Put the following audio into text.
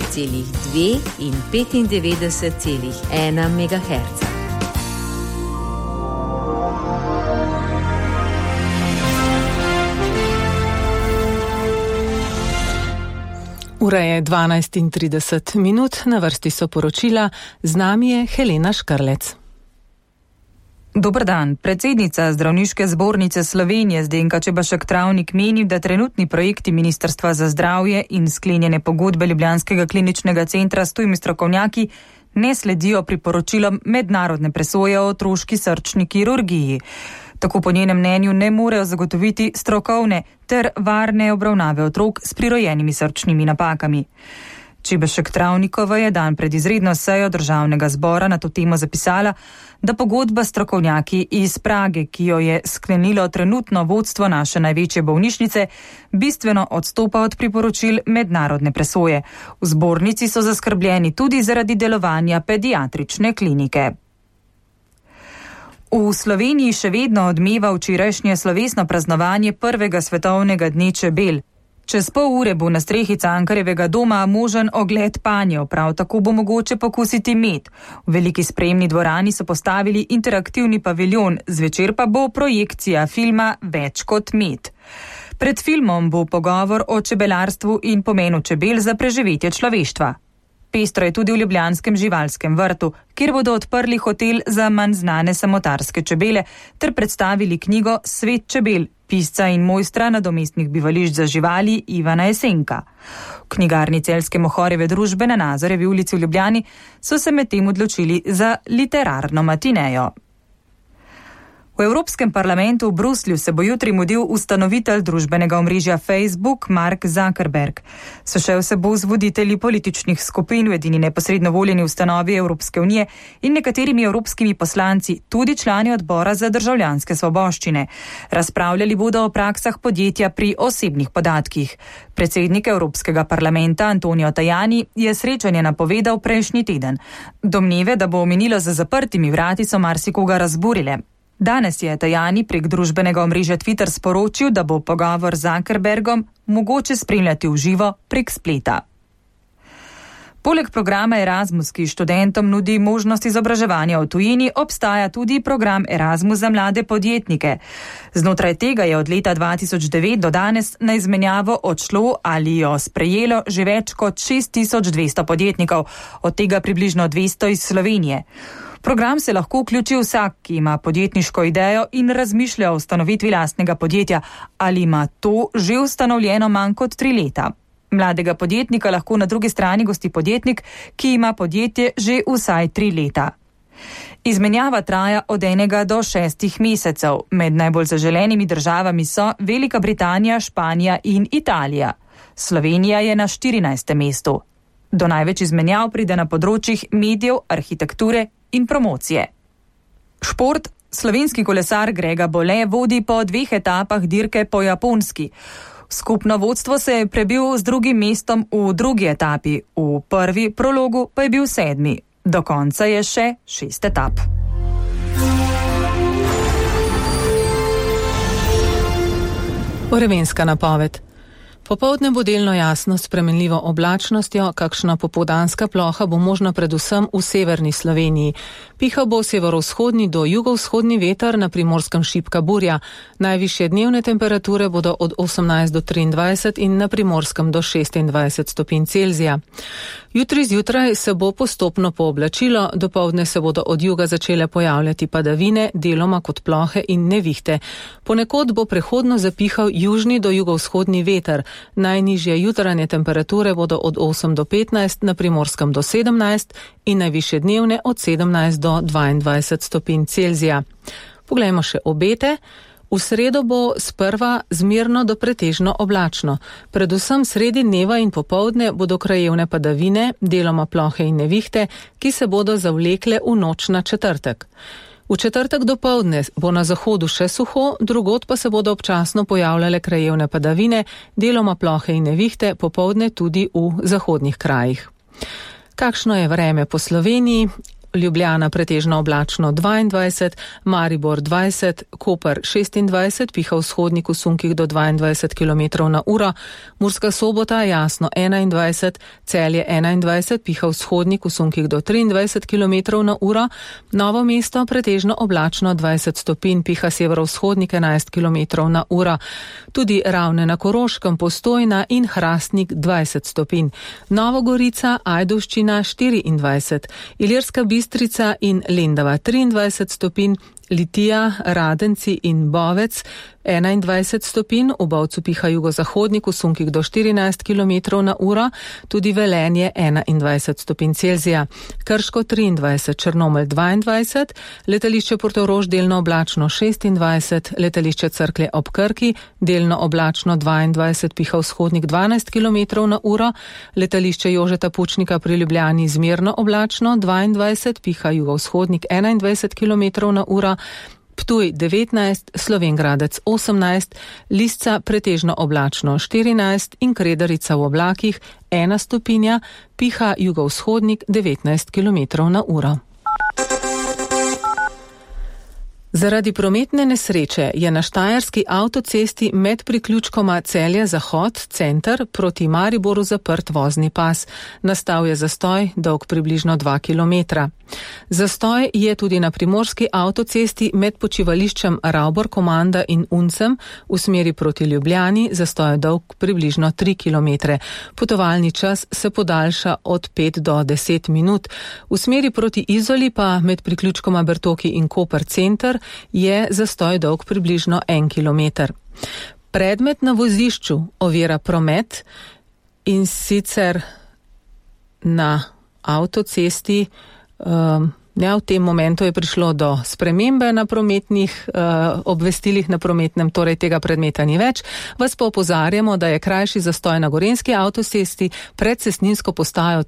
95,2 in 95,1 MHz. Ura je 12:30, na vrsti so poročila, z nami je Helena Škrlec. Dober dan. Predsednica Zdravniške zbornice Slovenije Zdenka Čebašek Travnik meni, da trenutni projekti Ministrstva za zdravje in sklenjene pogodbe Ljubljanskega kliničnega centra s tujimi strokovnjaki ne sledijo priporočilom mednarodne presoje o otroški srčni kirurgiji. Tako po njenem mnenju ne morejo zagotoviti strokovne ter varne obravnave otrok s prirojenimi srčnimi napakami. Čebašek Travnikova je dan pred izredno sejo Državnega zbora na to temo zapisala, da pogodba s strokovnjaki iz Prage, ki jo je sklenilo trenutno vodstvo naše največje bolnišnice, bistveno odstopa od priporočil mednarodne presoje. V zbornici so zaskrbljeni tudi zaradi delovanja pediatrične klinike. V Sloveniji še vedno odmeva včerajšnje slovesno praznovanje prvega svetovnega dne čebel. Čez pol ure bo na strehi Cankarjevega doma možen ogled panjev, prav tako bo mogoče pokusiti med. V veliki sprejemni dvorani so postavili interaktivni paviljon, zvečer pa bo projekcija filma Več kot med. Pred filmom bo pogovor o čebelarstvu in pomenu čebel za preživetje človeštva. Pestro je tudi v ljubljanskem živalskem vrtu, kjer bodo odprli hotel za manj znane samotarske čebele ter predstavili knjigo Svet čebel, pisca in mojstra nadomestnih bivališč za živali Ivana Jesenka. V knjigarni Celjske Mohorjeve družbe na Nazorjevi ulici v Ljubljani so se medtem odločili za literarno matinejo. V Evropskem parlamentu v Bruslju se bo jutri mudil ustanovitelj družbenega omrežja Facebook Mark Zuckerberg. Sešel se bo z voditelji političnih skupin v edini neposredno voljeni ustanovi Evropske unije in nekaterimi evropskimi poslanci, tudi člani odbora za državljanske svoboščine. Razpravljali bodo o praksah podjetja pri osebnih podatkih. Predsednik Evropskega parlamenta Antonio Tajani je srečanje napovedal prejšnji teden. Domneve, da bo minilo za zaprtimi vrati, so marsikoga razburile. Danes je Tajani prek družbenega omrežja Twitter sporočil, da bo pogovor z Zuckerbergom mogoče spremljati v živo prek spleta. Poleg programa Erasmus, ki študentom nudi možnost izobraževanja v tujini, obstaja tudi program Erasmus za mlade podjetnike. Znotraj tega je od leta 2009 do danes na izmenjavo odšlo ali jo sprejelo že več kot 6200 podjetnikov, od tega približno 200 iz Slovenije. V program se lahko vključi vsak, ki ima podjetniško idejo in razmišlja o ustanovitvi lastnega podjetja ali ima to že ustanovljeno manj kot 3 leta. Mladega podjetnika lahko na drugi strani gosti podjetnik, ki ima podjetje že vsaj 3 leta. Izmenjava traja od 1 do 6 mesecev. Med najbolj zaželenimi državami so Velika Britanija, Španija in Italija. Slovenija je na 14. mestu. Do največ izmenjav pride na področjih medijev, arhitekture in promocije. Šport. Slovenski kolesar Grega Bole vodi po 2 etapah dirke po Japonski. Skupno vodstvo se je prebil z drugim mestom v drugi etapi, v prvi prologu pa je bil 7. Do konca je še 6 etap. Vremenska napoved. Popoldne bo delno jasno s spremenljivo oblačnostjo, kakšna popoldanska ploha bo možna predvsem v severni Sloveniji. Pihal bo severovzhodni do jugovzhodni veter, na Primorskem šibka burja. Najvišje dnevne temperature bodo od 18 do 23 in na Primorskem do 26 stopinj Celzija. Jutri zjutraj se bo postopno pooblačilo, dopoldne se bodo od juga začele pojavljati padavine, deloma kot plohe in nevihte. Ponekod bo prehodno zapihal južni do jugovzhodni veter. Najnižje jutranje temperature bodo od 8 do 15, na Primorskem do 17 in najvišje dnevne od 17 do 22 stopinj Celzija. Poglejmo še obete. V sredo bo sprva zmerno do pretežno oblačno. Predvsem sredi dneva in popoldne bodo krajevne padavine, deloma plohe in nevihte, ki se bodo zavlekle v noč na četrtek. V četrtek dopoldne bo na zahodu še suho, drugod pa se bodo občasno pojavljale krajevne padavine, deloma plohe in nevihte, popoldne tudi v zahodnih krajih. Kakšno je vreme po Sloveniji? Ljubljana pretežno oblačno 22, Maribor 20, Koper 26, piha vzhodnik v sunkih do 22 km/h, Murska Sobota jasno 21, Celje 21, piha vzhodnik v sunkih do 23 km/h, Novo mesto pretežno oblačno 20 stopinj, piha severovzhodnik 11 km/h, tudi Ravne na Koroškem, Postojna in Hrastnik 20 stopinj, Novogorica, Ajdovščina 24, Ilirska Bistrica in Lendava 23 stopinj, Litija, Radenci in Bovec 21 stopinj, v Bovcu piha jugozahodnik v sunkih do 14 km/h, tudi Velenje 21 stopinj Celzija, Krško 23, Črnomelj 22, letališče Portorož delno oblačno 26, letališče Cerklje ob Krki delno oblačno 22, piha vzhodnik 12 km/h, letališče Jožeta Pučnika pri Ljubljani zmerno oblačno 22, piha jugovzhodnik 21 km/h, Ptuj 19, Slovenj Gradec 18, Lisca pretežno oblačno 14 in Kredarica v oblakih 1 stopinja, piha jugovzhodnik 19 km/h. Zaradi prometne nesreče je na štajerski avtocesti med priključkoma Celje-Zahod, center, proti Mariboru zaprt vozni pas. Nastal je zastoj, dolg približno 2 km. Zastoj je tudi na primorski avtocesti med počivališčem Ravbor Komanda in Uncem v smeri proti Ljubljani, zastoj je dolg približno 3 km. Potovalni čas se podaljša od 5 do 10 minut. V smeri proti Izoli pa med priključkoma Bertoki in Koper center je zastoj dolg približno 1 km. Predmet na vozišču ovira promet, in sicer na avtocesti. V tem momentu je prišlo do spremembe na prometnih obvestilih na prometnem, torej tega predmeta ni več. Vas pa opozarjamo, da je krajši zastoj na gorenjski avtocesti pred cestninsko postajo